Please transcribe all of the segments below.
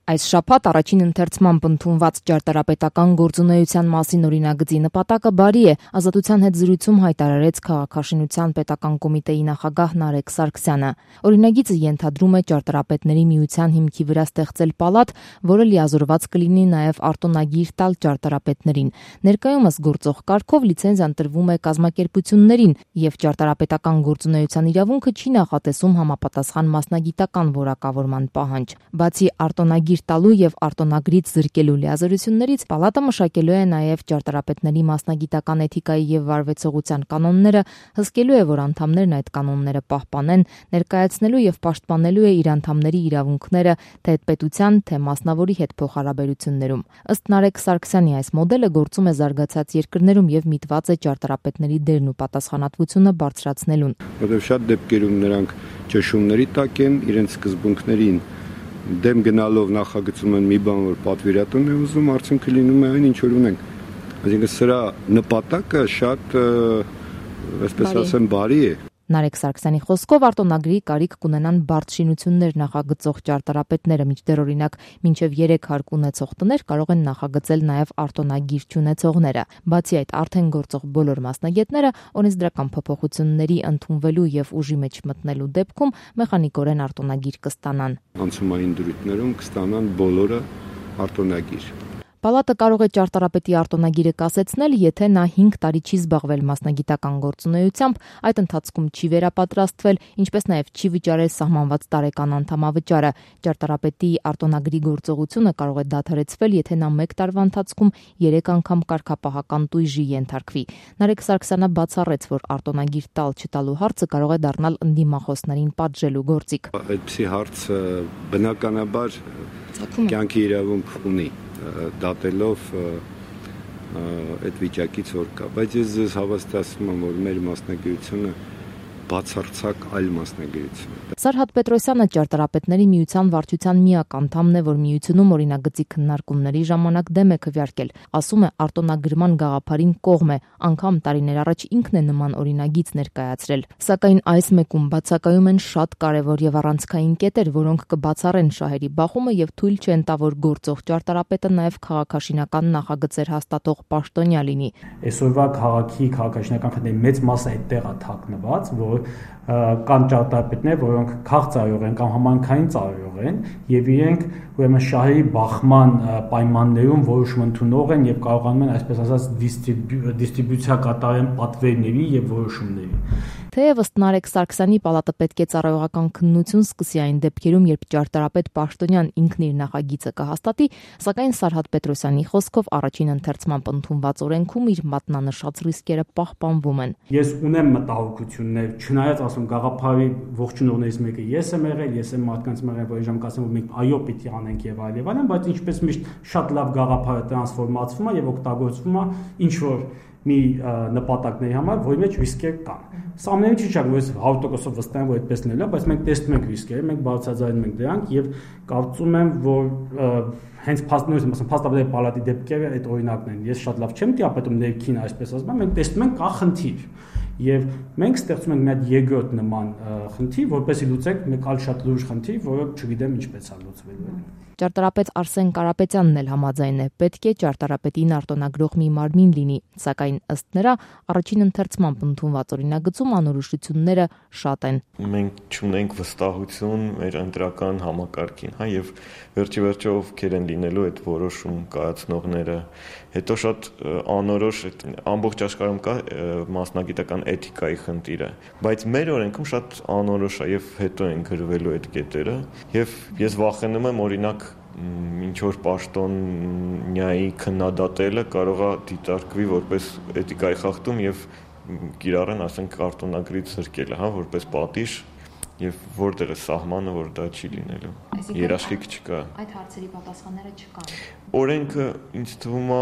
Այս շաբաթ առաջին ընթերցմամբ ընդունված ճարտարապետական գործունեության մասին օրինագծի նպատակը բարի է, Ազատության հետ զրույցում հայտարարեց Քաղաքաշինության պետական կոմիտեի նախագահ Նարեկ Սարգսյանը։ Օրինագիծը ենթադրում է ճարտարապետների միության հիմքի վրա ստեղծել պալատ, որը լիազորված կլինի նաև արտոնագիր տալ ճարտարապետներին։ Ներկայումս գործող կարգով լիցենզիան տրվում է կազմակերպություններին, եւ ճարտարապետական գործունեության իրավունքը չի նախատեսում համապատասխան մասնագիտական որակավորման պահանջ։ Բացի արտոնագիր տալու եւ արտոնագրից զրկելու լիազորություններից պալատը մշակելու է նաեւ ճարտարապետների մասնագիտական էթիկայի եւ վարվեցողության կանոնները, հսկելու է, որ անդամներն այդ կանոնները պահպանեն, ներկայացնելու եւ պաշտպանելու է իր անդամների իրավունքները թե պետության, թե մասնավորի հետ փոխհարաբերություններում։ Ըստ Նարեկ Սարգսյանի այս մոդելը գործում է զարգացած երկրներում եւ միտված է ճարտարապետների դերն ու պատասխանատվությունը բարձրացնելուն։ Որտեղ շատ դեպքերում նրանք ճշումների տակ են, իրենց սկզբունքներին դեմ գնալով նախագծում են մի բան, որ պատվիրատուն է ուզում, արդյունքը լինում է այն, ինչ որ ունենք։ Այսինքն սրա նպատակը շատ, այսպես ասեմ, բարի է։ Նարեկ Սարգսյանի խոսքով արտոնագրի կարիք կունենան բարդ շինություններ նախագծող ճարտարապետները, մինչդեռ օրինակ մինչև 3 հարկ ունեցող տներ կարող են նախագծել նաև արտոնագիր չունեցողները։ Բացի այդ, արդեն գործող բոլոր մասնագետները օրենսդրական փոփոխությունների ընդունվելու եւ ուժի մեջ մտնելու դեպքում մեխանիկորեն արտոնագիր կստանան։ Անցումային դրույթներում կստանան բոլորը արտոնագիր։ Պալատը կարող է ճարտարապետի արտոնագիրը կասեցնել, եթե նա 5 տարի չի զբաղվել մասնագիտական գործունեությամբ, այդ ընթացքում չի վերապատրաստվել, ինչպես նաև չի վճարել սահմանված տարեկան անդամավճարը։ Ճարտարապետի արտոնագրի գործողությունը կարող է դադարեցվել, եթե նա 1 տարվա ընթացքում 3 անգամ կարգապահական տույժի ենթարկվի։ Նարեկ Սարգսյանը բացառեց, որ արտոնագիր տալ-չտալու հարցը կարող է դառնալ ընդդիմախոսներին պատժելու գործիք։ Այդպիսի հարցը բնականաբար կյանքի իրավունք ունի, դատելով այդ վիճակից որ կա, բայց ես ձեզ հավաստիացնում եմ, որ մեր մասնագիտությունը բացարձակ այլ մասնագիտություն է։ Սարհատ Պետրոսյանը ճարտարապետների միության վարչության միակ անդամն է, որ միությունում օրինագծի քննարկումների ժամանակ դեմ է քվեարկել։ Ասում է, արտոնագրման գաղափարին կողմ է, անգամ տարիներ առաջ ինքն է նման օրինագիծ ներկայացրել։ Սակայն այս մեկում բացակայում են շատ կարևոր եւ առանցքային կետեր, որոնք կբացառեն շահերի բախումը եւ թույլ չեն տա, որ գործող ճարտարապետը նաեւ քաղաքաշինական նախագծեր հաստատող պաշտոնյա լինի։ Այսօրվա քաղաքի քաղաքաշինական խնդրի մեծ մասը այդտեղ է թաքնված, որ կան ճարտարապետներ, որոնք քաղցրայող են կամ համայնքային ծառայող են եւ իրենք ուրեմն շահերի բախման պայմաններում որոշում ընդունող են եւ կարողանում են այսպես ասած դիստրիբյուցիա կատարեն պատվերների եւ որոշումների։ Թեև ըստ Նարեկ Սարգսյանի պալատը պետք է ծառայողական քննություն սկսի այն դեպքերում, երբ ճարտարապետ պաշտոնյան ինքն իր նախագիծը կհաստատի, սակայն Սարհատ Պետրոսյանի խոսքով առաջին ընթերցմամբ ընդունված օրենքում իր մատնանշած ռիսկերը պահպանվում են։ Ես ունեմ մտահոգություններ, չնայած ասում գաղափարի ողջունողներից մեկը ես եմ եղել, ես եմ մարդկանց մեղել, որ իժամ կասեմ, որ մենք այո պիտի անենք եւ այլն, բայց ինչպես միշտ շատ լավ գաղափարը տրանսֆորմացվում է եւ օգտագործվում է ինչ որ մի նպատակների համար, որի մեջ ռիսկեր կան։ Սա ամենից չի չափ, որ 100% վստահ եմ, որ այդպես լինելու է, բայց մենք տեսնում ենք ռիսկերը, մենք բարձրաձայնում ենք դրանք եւ կարծում եմ, որ հենց փաստաբանների պալատի դեպքերը այդ օրինակն են։ Ես շատ լավ չեմ տիրապետում ներքին, այսպես ասեմ, մենք տեսնում ենք կա խնդիր։ Եվ մենք ստեղծում ենք մի հատ երկրորդ նման խնդիր, որպեսզի լուծենք մեկ այլ շատ լուրջ խնդիր, որը չգիտեմ ինչպես է լուծվելու։ Ճարտարապետ Արսեն Կարապետյանն էլ համաձայն է, պետք է ճարտարապետին արտոնագրող մի մարմին լինի, սակայն ըստ նրա առաջին ընթերցմամբ ընդունված օրինագծում անորոշությունները շատ են։ Մենք չունենք վստահություն մեր ընտրական համակարգին, եւ վերջի ովքեր են լինելու այդ որոշում կայացնողները։ Հետո շատ անորոշ ամբողջ աշխարհում կա մասնագիտական էթիկայի խնդիրը, բայց մեր օրենքում շատ անորոշ է եւ հետո են գրվելու այդ կետերը, եւ ես վախենում եմ օրինակ ինչ որ պաշտոնյայի քննադատելը կարող է դիտարկվի որպես էթիկայի խախտում եւ կիրառեն, ասենք, արտոնագրից զրկելը, որպես պատիժ եւ որտեղ է սահմանը, որ դա չի լինելու։ Երաշխիք չկա։ Այդ հարցերի պատասխանները չկան։ Օրենքը ինձ թվում է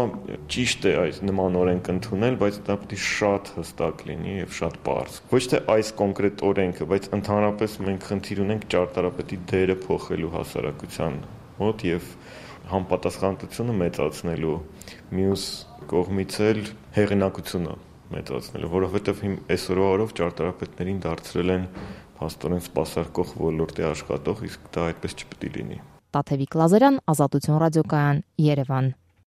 ճիշտ է այս նման օրենք ընդունել, բայց դա պետք է շատ հստակ լինի եւ շատ պարզ։ Ոչ թե այս կոնկրետ օրենքը, բայց ընդհանրապես մենք խնդիր ունենք ճարտարապետի դերը փոխելու հասարակության մոտ եւ համապատասխանատվությունը մեծացնելու, մյուս կողմից էլ հեղինակությունը մեծացնելու, որովհետեւ այսօրվա օրով ճարտարապետներին դարձրել են փաստորեն սպասարկող ոլորտի աշխատող, իսկ դա այդպես չպետք է լինի։ Տաթևիկ Լազարյան, Ազատություն ռադիոկայան, Երևան։